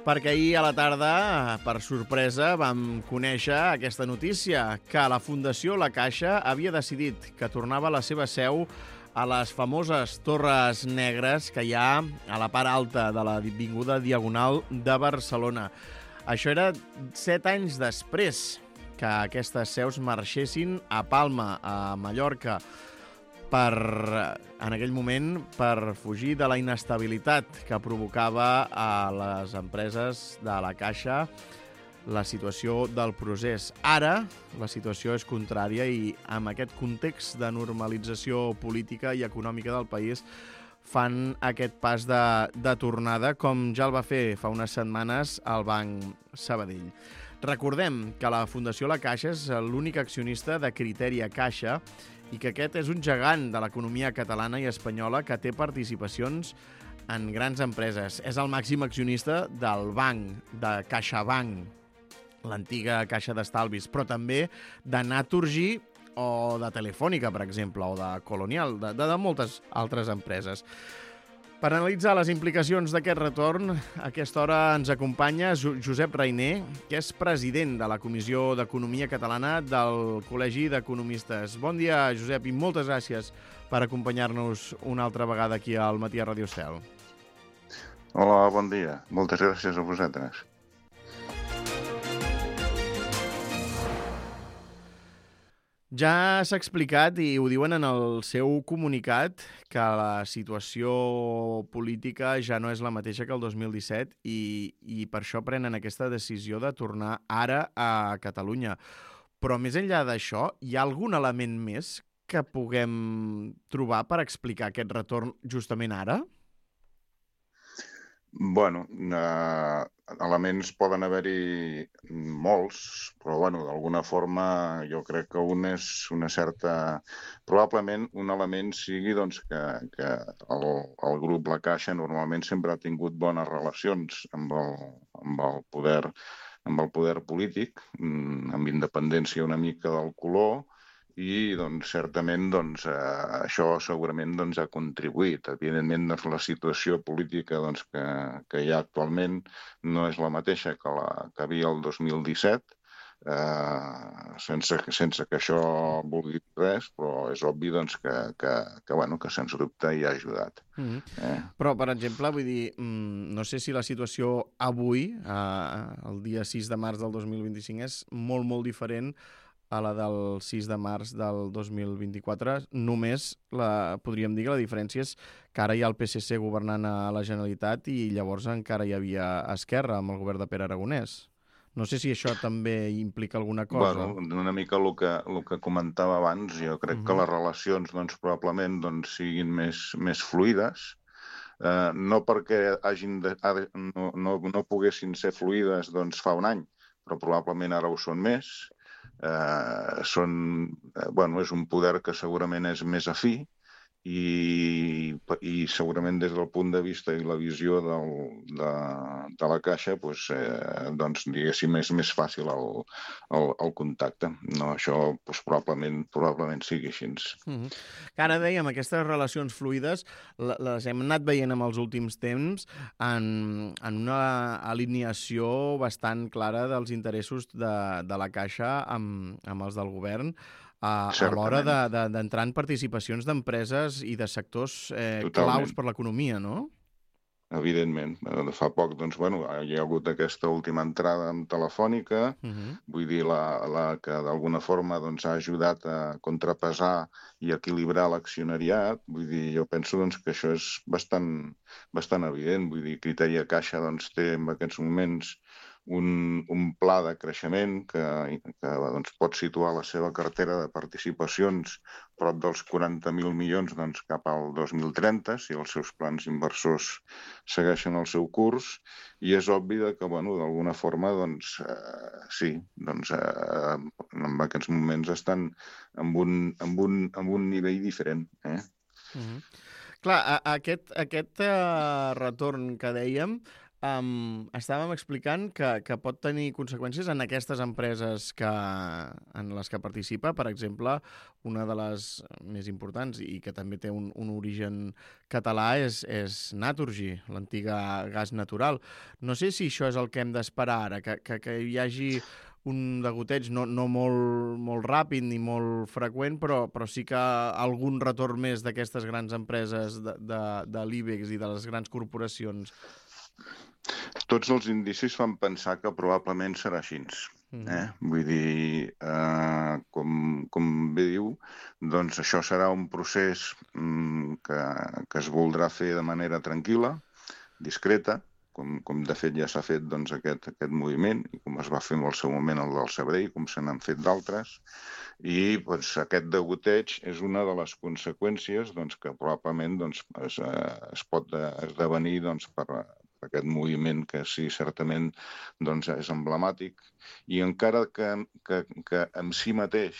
Perquè ahir a la tarda, per sorpresa, vam conèixer aquesta notícia, que la Fundació La Caixa havia decidit que tornava la seva seu a les famoses Torres Negres que hi ha a la part alta de l'avinguda Diagonal de Barcelona. Això era 7 anys després que aquestes seus marxessin a Palma, a Mallorca, en aquell moment per fugir de la inestabilitat que provocava a les empreses de la Caixa la situació del procés. Ara la situació és contrària i amb aquest context de normalització política i econòmica del país fan aquest pas de tornada, com ja el va fer fa unes setmanes el Banc Sabadell. Recordem que la Fundació La Caixa és l'únic accionista de Criteria Caixa i que aquest és un gegant de l'economia catalana i espanyola que té participacions en grans empreses. És el màxim accionista del banc, de CaixaBank, l'antiga Caixa d'Estalvis, però també de Naturgy o de Telefònica, per exemple, o de Colonial, de moltes altres empreses. Per analitzar les implicacions d'aquest retorn, a aquesta hora ens acompanya Josep Reiner, que és president de la Comissió d'Economia Catalana del Col·legi d'Economistes. Bon dia, Josep, i moltes gràcies per acompanyar-nos una altra vegada aquí al Matí a Radio Estel. Hola, bon dia. Moltes gràcies a vosaltres. Ja s'ha explicat, i ho diuen en el seu comunicat, que la situació política ja no és la mateixa que el 2017 i per això prenen aquesta decisió de tornar ara a Catalunya. Però més enllà d'això, hi ha algun element més que puguem trobar per explicar aquest retorn justament ara? Bueno, elements poden haver-hi molts, però d'alguna forma jo crec que un és una certa... Probablement un element sigui que el grup La Caixa normalment sempre ha tingut bones relacions amb el poder polític, amb independència una mica del color, i certament això segurament ha contribuït. Evidentment la situació política que hi ha actualment no és la mateixa que la que hi havia el 2017, sense que això vulgui dir res, però és obvi que sens dubte hi ha ajudat. Però, per exemple, vull dir, no sé si la situació avui, el dia 6 de març del 2025, és molt, molt diferent a la del 6 de març del 2024. Només podríem dir que la diferència és que ara hi ha el PSC governant a la Generalitat i llavors encara hi havia Esquerra amb el govern de Pere Aragonès. No sé si això també implica alguna cosa. Una mica el que comentava abans, jo crec que les relacions probablement siguin més fluides, no perquè no poguessin ser fluides fa un any, però probablement ara ho són més. És un poder que segurament és més afí i segurament des del punt de vista i la visió de la Caixa diguéssim és més fàcil el contacte. No, això probablement sigui així. Ara dèiem, aquestes relacions fluides les hem anat veient en els últims temps en una alineació bastant clara dels interessos de la Caixa amb els del govern, a l'hora d'entrar en participacions d'empreses i de sectors claus per l'economia, no? Evidentment. Fa poc hi ha hagut aquesta última entrada amb Telefònica, vull dir, la que d'alguna forma ha ajudat a contrapesar i equilibrar l'accionariat. Vull dir, jo penso que això és bastant evident. Vull dir, Criteria Caixa té en aquests moments un pla de creixement que pot situar la seva cartera de participacions prop dels 40.000 milions cap al 2030, si els seus plans inversors segueixen el seu curs, i és obvi que, d'alguna forma, sí, en aquests moments estan amb un nivell diferent. Clar, aquest retorn que dèiem Estàvem explicant que pot tenir conseqüències en aquestes empreses en les que participa. Per exemple, una de les més importants i que també té un origen català és Naturgy, l'antiga gas natural. No sé si això és el que hem d'esperar ara, que hi hagi un degoteig no molt ràpid ni molt freqüent, però sí que algun retorn més d'aquestes grans empreses de l'IBEX i de les grans corporacions. Tots els indicis fan pensar que probablement serà així. Vull dir, com bé diu, doncs això serà un procés que es voldrà fer de manera tranquil·la, discreta, com de fet ja s'ha fet doncs, aquest moviment, i com es va fer en el seu moment el del Sabré, com se n'han fet d'altres, i doncs, aquest degoteig és una de les conseqüències doncs, que probablement doncs, es pot esdevenir doncs, per aquest moviment que sí, certament doncs, és emblemàtic, i encara que en si mateix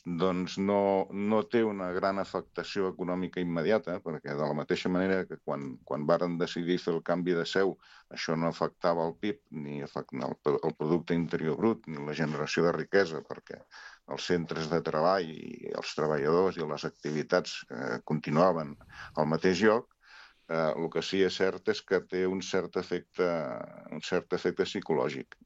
doncs no té una gran afectació econòmica immediata, perquè de la mateixa manera que quan varen decidir fer el canvi de seu, això no afectava el PIB, ni el Producte Interior Brut, ni la generació de riquesa, perquè els centres de treball i els treballadors i les activitats continuaven al mateix lloc. El que sí és cert és que té un cert efecte psicològic,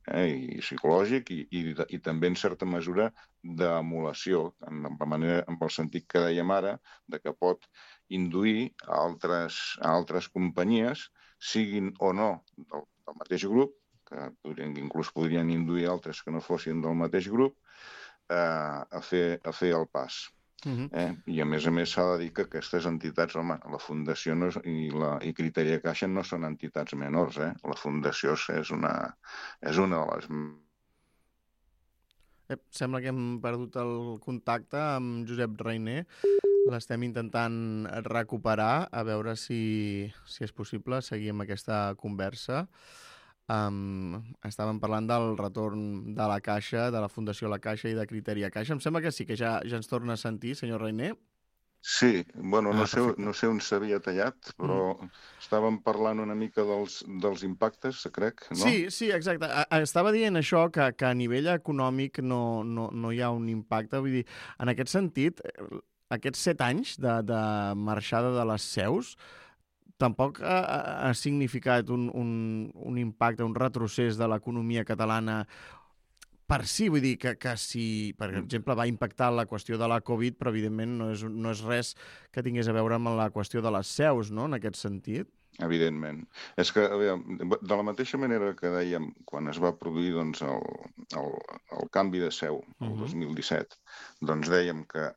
i també en certa mesura d'emulació, en el sentit que dèiem ara, de que pot induir a altres companyies, siguin o no del mateix grup, que inclús podrien induir altres que no fossin del mateix grup, a fer el pas. I a més s'ha de dir que aquestes entitats, home, la Fundació i Criteria Caixa no són entitats menors, La Fundació és una de les... Sembla que hem perdut el contacte amb Josep Reiner. L'estem intentant recuperar, a veure si és possible seguir amb aquesta conversa. Estàvem parlant del retorn de la Caixa, de la Fundació La Caixa i de Criteria Caixa. Em sembla que sí, que ja ens torna a sentir, senyor Reiner. Sí, bueno, no sé on s'havia tallat, però estàvem parlant una mica dels impactes, crec, no? Sí, exacte. Estava dient això, que a nivell econòmic no hi ha un impacte. Vull dir, en aquest sentit, aquests 7 anys de marxada de les seus tampoc ha significat un impacte, un retrocés de l'economia catalana per si, vull dir que si, per exemple, va impactar la qüestió de la Covid, però evidentment no és res que tingués a veure amb la qüestió de les seus, no?, en aquest sentit. Evidentment. És que, a veure, de la mateixa manera que dèiem quan es va produir doncs, el canvi de seu, el 2017, doncs dèiem que,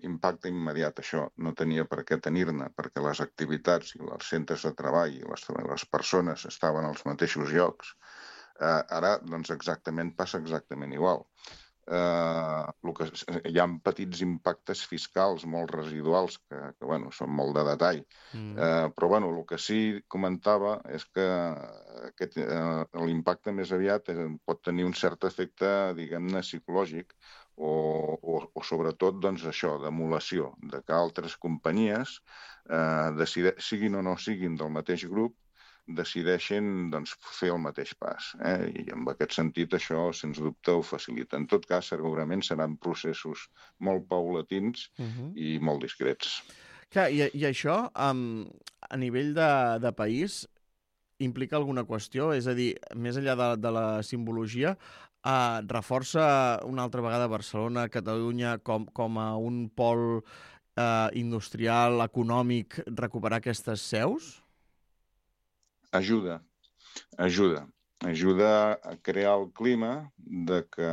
impacte immediat això no tenia per què tenir-ne, perquè les activitats i els centres de treball i les persones estaven als mateixos llocs. Ara, doncs, passa exactament igual. Hi ha petits impactes fiscals molt residuals que bueno, són molt de detall, però bueno, el que sí comentava és que l'impacte més aviat pot tenir un cert efecte, diguem-ne, psicològic o sobretot doncs, això, d'emulació, de que altres companyies, siguin o no siguin del mateix grup, decideixen doncs, fer el mateix pas. I en aquest sentit això, sens dubte, ho facilita. En tot cas, segurament seran processos molt paulatins i molt discrets. Clar, i això, a nivell de país, implica alguna qüestió? És a dir, més enllà de la simbologia, reforça una altra vegada Barcelona, Catalunya, com a un pol industrial, econòmic, recuperar aquestes seus? Ajuda a crear el clima de que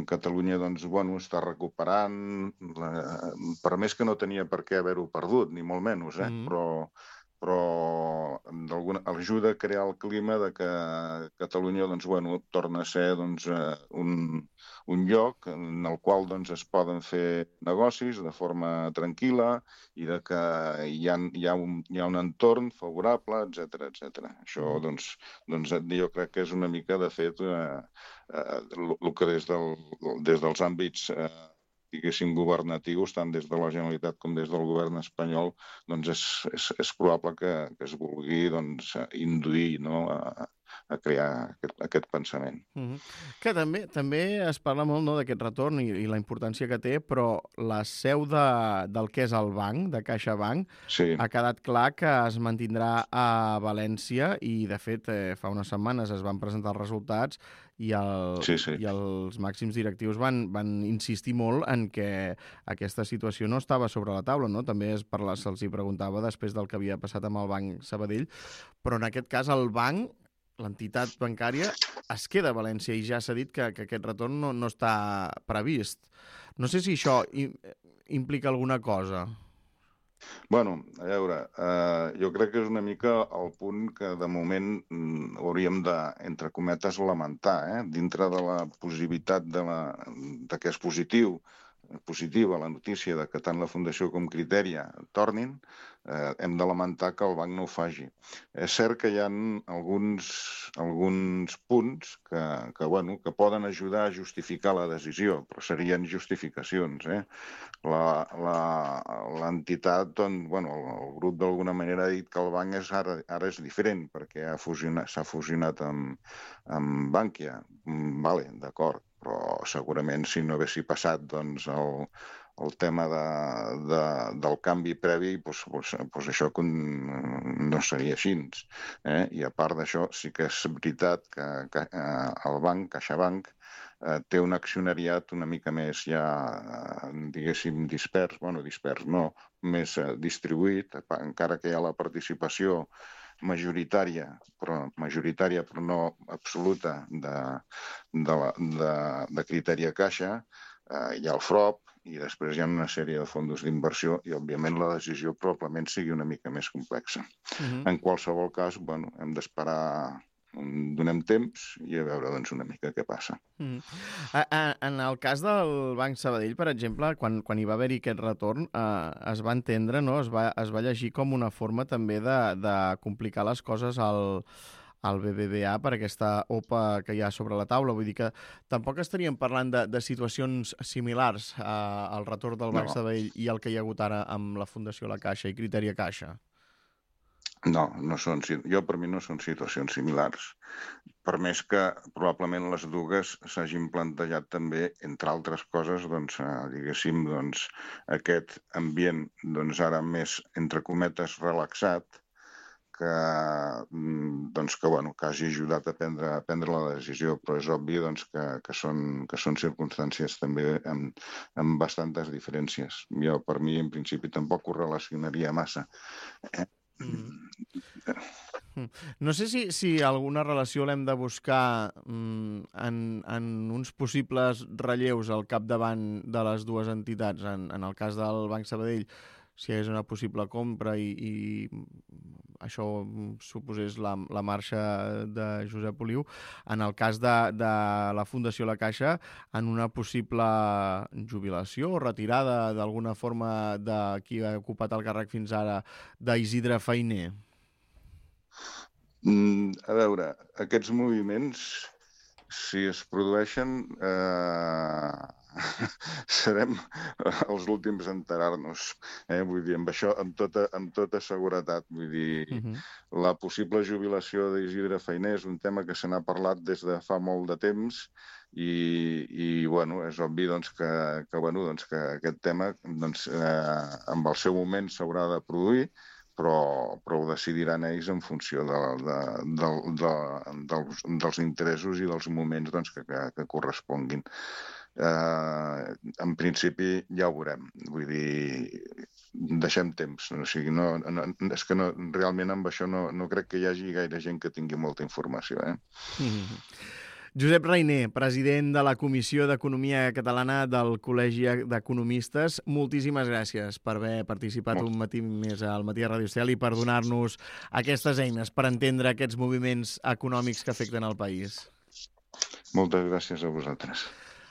Catalunya doncs, està recuperant, per més que no tenia per què haver-ho perdut, ni molt menys, però ajuda a crear el clima de que Catalunya torna a ser un lloc en el qual es poden fer negocis de forma tranquil·la i de que hi ha un entorn favorable, etc. Això jo crec que és una mica, de fet, el que des dels àmbits diguéssim, governatius, tant des de la Generalitat com des del govern espanyol, doncs és probable que es vulgui doncs, induir, no?, a crear aquest pensament. Que també es parla molt, no, d'aquest retorn i la importància que té, però la seu del que és el banc, de CaixaBank, Sí. ha quedat clar que es mantindrà a València i, de fet, fa unes setmanes es van presentar els resultats i els màxims directius van insistir molt en que aquesta situació no estava sobre la taula, no? També se'ls hi preguntava després del que havia passat amb el Banc Sabadell, però en aquest cas el banc, l'entitat bancària, es queda a València i ja s'ha dit que aquest retorn no està previst. No sé si això implica alguna cosa. Bueno, a veure, jo crec que és una mica el punt que de moment hauríem de, entre cometes, lamentar, dintre de la possibilitat de que és positiva la notícia de que tant la Fundació com Criteria tornin, hem de lamentar que el banc no ho faci. És cert que hi ha alguns punts que poden ajudar a justificar la decisió, però serien justificacions. L'entitat, el grup d'alguna manera ha dit que el banc ara és diferent perquè s'ha fusionat amb Bankia. Vale, d'acord, però segurament si no haguessi passat doncs, el tema del canvi previ, doncs això no seria així. I a part d'això, sí que és veritat que el banc, CaixaBank, té un accionariat una mica més ja, diguéssim, dispers no, més distribuït, encara que hi ha la participació majoritària, però no absoluta, de Criteria Caixa, hi ha el FROP, i després hi ha una sèrie de fons d'inversió i, òbviament, la decisió probablement sigui una mica més complexa. En qualsevol cas, hem d'esperar, donem temps i a veure una mica què passa. En el cas del Banc Sabadell, per exemple, quan hi va haver-hi aquest retorn, es va entendre, no? Es va llegir com una forma també de complicar les coses al BBVA per aquesta OPA que hi ha sobre la taula. Vull dir que tampoc estaríem parlant de situacions similars al retorn del Banc Sabadell i el que hi ha hagut ara amb la Fundació La Caixa i Criteria Caixa. No són, per mi no són situacions similars. Per més que probablement les dues s'hagin plantejat també, entre altres coses, diguéssim, aquest ambient ara més, entre cometes, relaxat, que hagi ajudat a prendre la decisió, però és obvi que són circumstàncies també amb bastantes diferències. Jo, per mi, en principi, tampoc ho relacionaria massa. No sé si alguna relació l'hem de buscar en uns possibles relleus al capdavant de les dues entitats. En el cas del Banc Sabadell, si hi hagués una possible compra i això suposés la marxa de Josep Oliu. En el cas de la Fundació La Caixa, en una possible jubilació o retirada d'alguna forma de qui ha ocupat el càrrec fins ara d'Isidre Fainé. A veure, aquests moviments, si es produeixen, serem els últims a enterar-nos. Vull dir, amb això, amb tota seguretat. Vull dir, la possible jubilació d'Isidre Fainé és un tema que se n'ha parlat des de fa molt de temps i és obvi que aquest tema amb el seu moment s'haurà de produir, però ho decidiran ells en funció dels interessos i dels moments que corresponguin. En principi ja ho veurem. Vull dir, deixem temps. És que realment amb això no crec que hi hagi gaire gent que tingui molta informació. Josep Rainé, president de la Comissió d'Economia Catalana del Col·legi d'Economistes, moltíssimes gràcies per haver participat un matí més al Matí de Ràdio Estel i per donar-nos aquestes eines per entendre aquests moviments econòmics que afecten el país. Moltes gràcies a vosaltres.